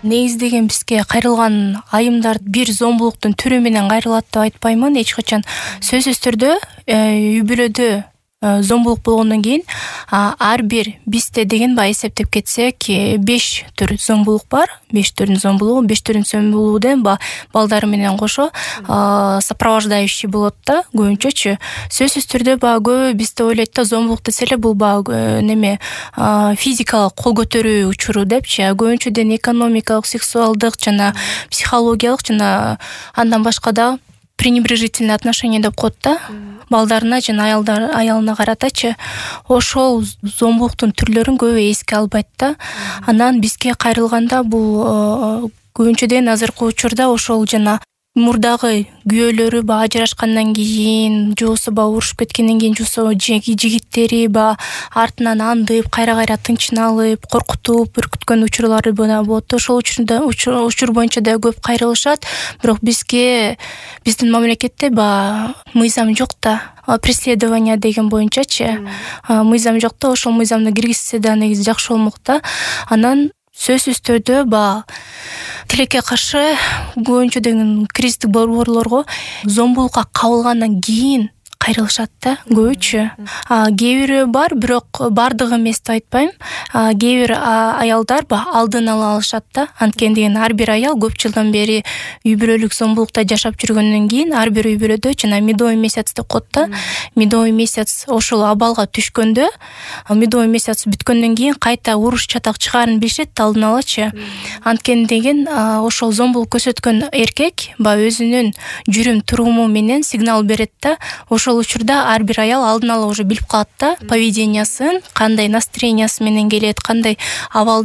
негиздеген бизге кайрылган айымдар бир зомбулуктун түрү менен кайрылат деп айтпаймын эч качан. Сөзсүз түрдө үй бүлөдө зомбулук болгондон кийин ар бир бизде деген эсептеп кетсек 5 түр зомбулук бар. 5 түрдүн зомбулугу, 5 түрдүн зомбулугуден балдары менен кошо сопровождающий болот да көбүнчөчү. Сөзсүз түрдө көбү бизде ойлойт да зомбулук десе эле бул физикалык кол көтөрүү учуру депчи. Көбүнчөдөн экономикалык, сексуалдык жана психологиялык жана андан башка да пренебрежительное отношение деп коет да. Балдарына жана аялына каратачы. Ошол зомбулуктун түрлөрүн көбү эске албайт да. Анан бизге кайрылганда бул көбүнчөдөн азыркы учурда ошол жана мурдагы күйөөлөрү ажырашкандан кийин же болбосо урушуп кеткенден кийин же болбосо жигиттери артынан андып кайра тынчыналып коркутуп үркүткөн учурлары болот. Ошол учур боюнча да көп кайрылышат. Бирок биздин мамлекетте мыйзам жок да. Преследование деген боюнчачы мыйзам жок да. Ошол мыйзамды киргизсе да негизи жакшы болмок да. Анан сөзсүз түрдө тилекке каршы көбүнчөдөн кризистик борборлорго зомбулукка кабылгандан кийин кайрылышат да көбүчө. Кээ бири бар, бирок бардыгы эмес деп айтпайм. Кээ бир аялдар алдын ала алышат да. Анткени деген ар бир аял көп жылдан бери үй бүлөлүк зомбулукта жашап жүргөндөн кийин ар бир үй бүлөдө жана медовый месяц деп коет да. Медовый месяц ошол абалга түшкөндө, медовый месяц бүткөндөн кийин кайта уруш чатак чыгаарын билишет алдын алачы. Анткени деген ошол зомбулук көрсөткөн эркек өзүнүн жүрүм туруму менен сигнал берет да. Ошол учурда ар бир аял алдын ала уже билип калат да, поведениясын, кандай настроениясы менен келет, кандай абал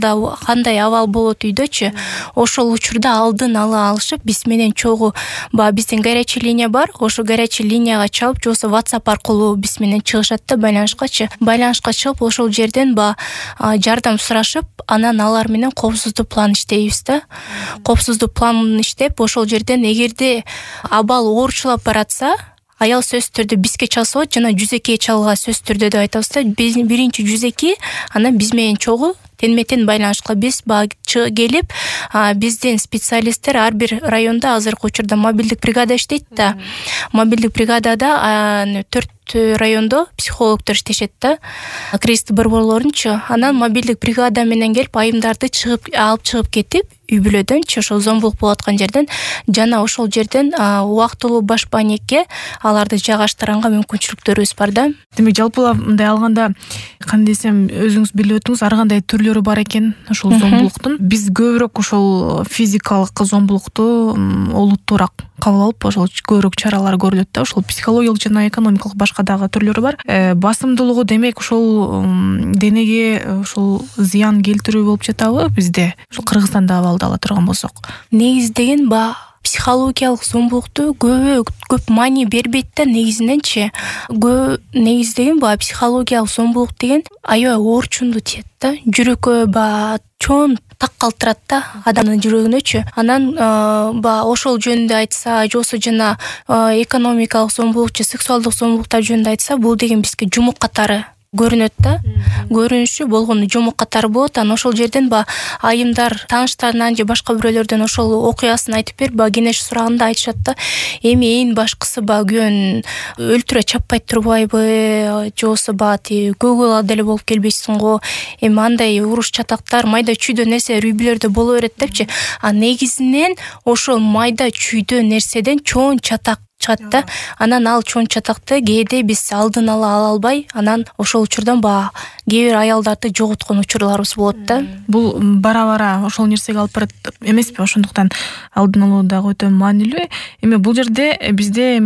болот үйдөчү. Ошол учурда алдын ала алышып, биз менен чогуу биздин горячий линия бар, ошол горячий линияга чалып, же болбосо WhatsApp аркылуу биз менен чыгышат да байланышка чыгып, ошол жерден жардам сурашып, анан алар менен коопсуздук план иштейбиз да. Коопсуздук планын иштеп, ошол жерден эгерде абал оорчулап баратса, аял сөзсүз түрдө бизге чалса болот жана жүзөккө чалга сөзсүз түрдө деп айтабыз да. Биринчи жүзөккө, анан биз менен чогуу тенме-тен байланышка биз келип, биздин специалисттер ар бир райондо азыркы учурда мобилдик бригада иштейт да. Мобилдик бригадада 4 райондо психологдор иштешет да. Кризистик борборлорунчу. Анан мобилдик бригада менен келип айымдарды алып чыгып кетип, үй бүлөдөнчү ошол зомбулук болуп аткан жерден жана ошол жерден убактылуу баш банекке аларды жайгаштырганга мүмкүнчүлүктөрүбүз бар да. Демек жалпылап мындай алганда кандай десем, өзүңүз билип өттүңүз, ар кандай түрлөрү бар экен ошол зомбулуктун. Биз көбүрөөк ошол физикалык зомбулукту олуттуураак кабыл алып, ошол көбүрөөк чаралар көрүлөт да. Ошол психологиялык жана экономикалык башка дагы түрлөрү бар. Басымдуулугу демек ошол денеге ошол зыян келтирүү болуп жатабы бизде? Ошол Кыргызстанда абалды ала турган болсок. Негизи деген психологиялык зомбулукту көп маани бербейт да негизиненчи. Негизи деген психологиялык зомбулук деген аябай оорчунду тиет да. Жүрөккө чоң так калтырат да адамдын жүрөгүнөчү. Анан ошол жөнүндө айтса, же болбосо жана экономикалык зомбулук же сексуалдык зомбулуктар жөнүндө айтса, бул деген бизге жумук катары көрүнөт да. Көрүнүшү болгону жумук катары болот. Анан ошол жерден айымдар тааныштарынан же башка бирөөлөрдөн ошол окуясын айтып берип, кеңеш сураганда айтышат да. Эми эң башкысы күйөөнүн өлтүрө чаппай турбайбы, же болбосо көгүл деле болуп келбейсиң го. Эми андай уруш чатактар, майда чүйдө нерсе үй бүлөлөрдө боло берет депчи. Негизинен ошол майда чүйдө нерседен чоң чатак чыгат да. Анан ал чоң чатакты кээде биз алдын ала албай, анан ошол учурдан кээ бир аялдарды жоготкон учурларыбыз болот да. Бул бара-бара ошол нерсеге алып барат эмеспи? Ошондуктан алдын алуу дагы өтө маанилүү. Эми бул жерде бизде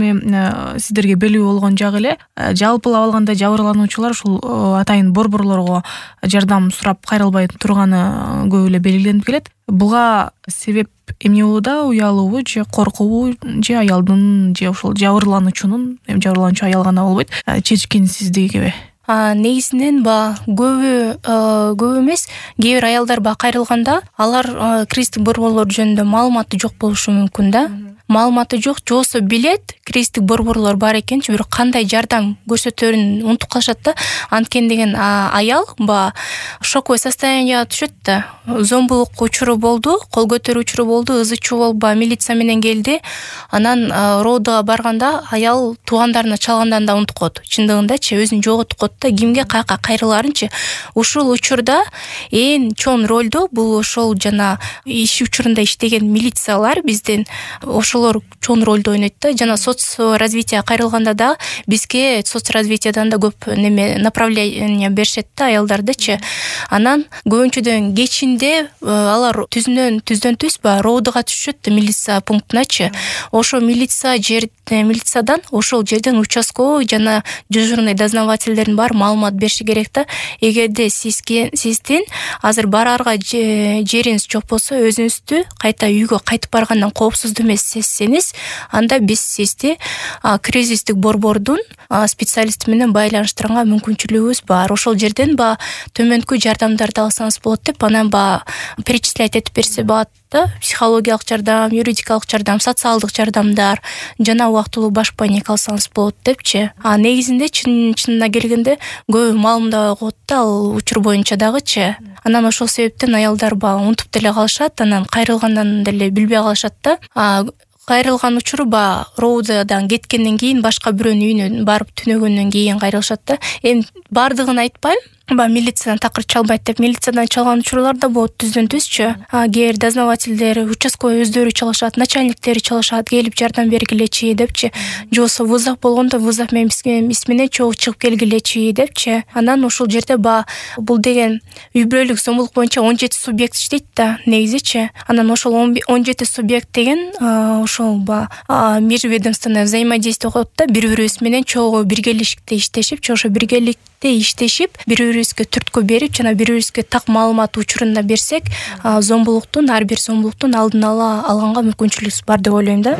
сиздерге белгилүү болгон жагы эле, жалпылап алганда жабырлануучулар ушул атайын борборлорго жардам сурап кайрылбай турганы көп эле белгиленип келет. Буга себеп эмне болууда? Уялуубу же коркуубу же аялдын же ошол жабырлануучунун, жабырлануучу аял гана болбойт, чечкинсиздигиби? Негизинен көп эмес, кээ бир аялдар кайрылганда алар кризистик борборлор жөнүндө маалыматы жок болушу мүмкүн да. маалыматы жок, жосо билет кризистик борборлор бар экенчи, бирок кандай жардам көрсөтөрүн унутуп калышат да. Анткени деген аял баягы шоковый состоянияга түшөт да. Зомбулук учуру болду, кол көтөрүү учуру болду, ызы-чуу болуп милиция менен келди. Анан родога барганда аял туугандарына чалгандан да унутуп коет. Чындыгындачы өзүн жоготуп коет да, кимге каяка кайрылаарынчы. Ушул учурда эң чоң ролду бул ошол жана иш учурунда иштеген милициялар бизден ошолор чоң ролду ойнойт да. Жана соцразвитие кайрылганда да бизге соцразвитиядан да көп направление беришет да аялдардычы. Анан көбүнчөдөн кечинде алар түздөн түз родога түшөт да, милиция пунктуначы. Ошо милициядан ошол жерден участковый жана дежурный дознавательдердин баары маалымат бериши керек да. Эгерде сиздин азыр бараарга жериңиз жок болсо, өзүңүздү кайта үйгө кайтып баргандан коопсуздуу эмес сезсеңиз, анда биз сизди кризистик борбордун специалисти менен байланыштырганга мүмкүнчүлүгүбүз бар. Ошол жерден төмөнкү жардамдарды алсаңыз болот деп, анан перечислять этип берсе болот да. Психологиялык жардам, юридикалык жардам, социалдык жардамдар жана убактылуу баш паника алсаңыз болот депчи. Негизинде чынына келгенде көп маалымдабай коет да ал учур боюнча дагычы. Анан ошол себептен аялдар унутуп деле калышат, анан кайрылгандан деле билбей калышат да. Кайрылган учуру роудадан кеткенден кийин, башка бирөөнүн үйүнө барып түнөгөндөн кийин кайрылышат да. Эми бардыгын айтпайм, милициядан такыр чалбайт деп. Милициядан чалган учурлар да болот түздөн түзчү. Кээ бир дознавательдер, участковый өздөрү чалышат, начальниктери чалышат, келип жардам бергилечи депчи. Же болбосо вызов болгондо вызов менен менен чогуу чыгып келгилечи депчи. Анан ошол жерде бул деген үй бүлөлүк зомбулук боюнча 17 субъект иштейт да негизичи. Анан ошол 17 субъект деген ошол межведомственное взаимодействие коет да. Бири-бирибиз менен чогуу биргеликте иштешип, ошо биргеликте иштешип, бири-бирибизге түрткү берип, жана бири-бирибизге так маалымат учурунда берсек, ар бир зомбулуктун алдын ала алганга мүмкүнчүлүгүбүз бар деп ойлойм да.